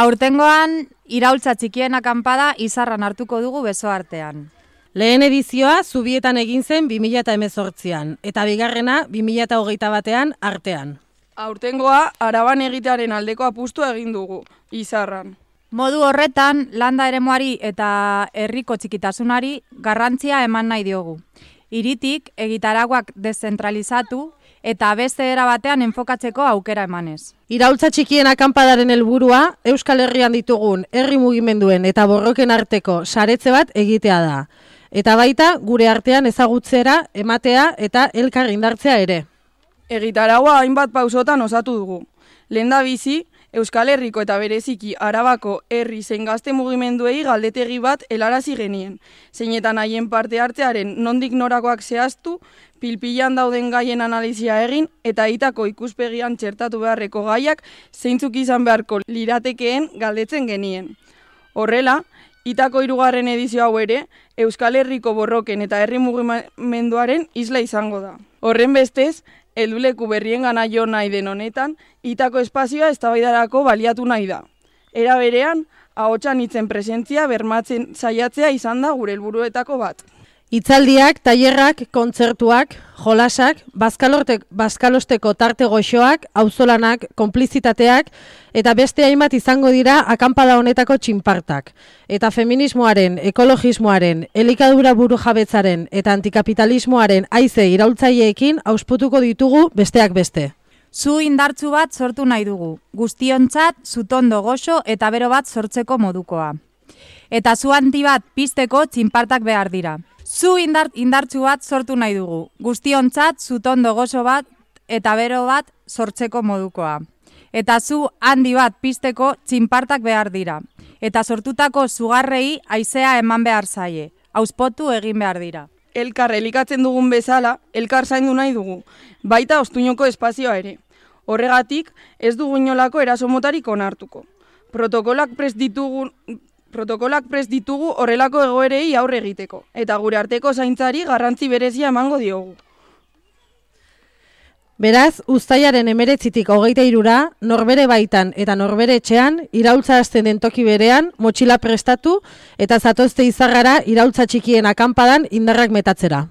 Aurtengoan, iraultza txikien akanpada Izarran hartuko dugu beso artean. Lehen edizioa Zubietan egin zen 2018an, eta bigarrena 2021an artean. Aurtengoa Araban egitearen aldeko apustua egin dugu, Izarran. Modu horretan, landa eremuari eta herriko txikitasunari garrantzia eman nahi diogu. Hiritik egitaragoak deszentralizatu eta beste era batean enfokatzeko aukera emanez. Iraultza txikien akanpadaren helburua Euskal Herrian ditugun herri mugimenduen eta borroken arteko saretze bat egitea da. Eta baita gure artean ezagutzera, ematea eta elkar indartzea ere. Egitaragua hainbat pausotan osatu dugu. Lehendabizi, Euskal Herriko eta bereziki Arabako herri zein gazte mugimenduei galdetegi bat helarazi genien. Zeinetan haien parte hartzearen nondik norakoak zehaztu, pilpilan dauden gaien analizia egin eta hitako ikuspegian txertatu beharreko gaiak zeintzuk izan beharko liratekeen galdetzen genien. Horrela, hitako 3. edizio hau ere, Euskal Herriko borroken eta herri mugimenduaren isla izango da. Horren bestez, helduleku berrien gana jo nahi den honetan, hitako espazioa eztabaidarako baliatu nahi da. Era berean, ahotsan hitzen presentzia bermatzen saiatzea izan da gure helburuetako bat. Hitzaldiak, tailerrak, kontzertuak, jolasak, bazkalosteko tarte goxoak, auzolanak, konplizitateak eta beste hainbat izango dira akanpada honetako txinpartak. Eta feminismoaren, ekologismoaren, elikadura burujabetzaren eta antikapitalismoaren haize iraultzaileekin ausputuko ditugu besteak beste. Zu indartsu bat sortu nahi dugu, guztiontzat zutondo goxo eta bero bat sortzeko modukoa. Eta zu handi bat pizteko txinpartak behar dira. Zu indartsu bat sortu nahi dugu, guztiontzat zutondo gozo bat eta bero bat sortzeko modukoa. Eta zu handi bat pizteko txinpartak behar dira. Eta sortutako zugarrei haizea eman behar zaie, auspotu egin behar dira. Elkar elikatzen dugun bezala, elkar zaindu nahi dugu, baita ostuinoko espazioa ere. Horregatik, ez dugu inolako erasomotarik onartuko. Protokolak prest ditugu horrelako egoerei aurre egiteko, eta gure arteko zaintzari garrantzi berezia emango diogu. Beraz, uztailaren 19tik 23ra, norbere baitan eta norbere etxean, iraultza hasten den toki berean, motxila prestatu eta zatozte Izarrara iraultza txikien akanpadan indarrak metatzera.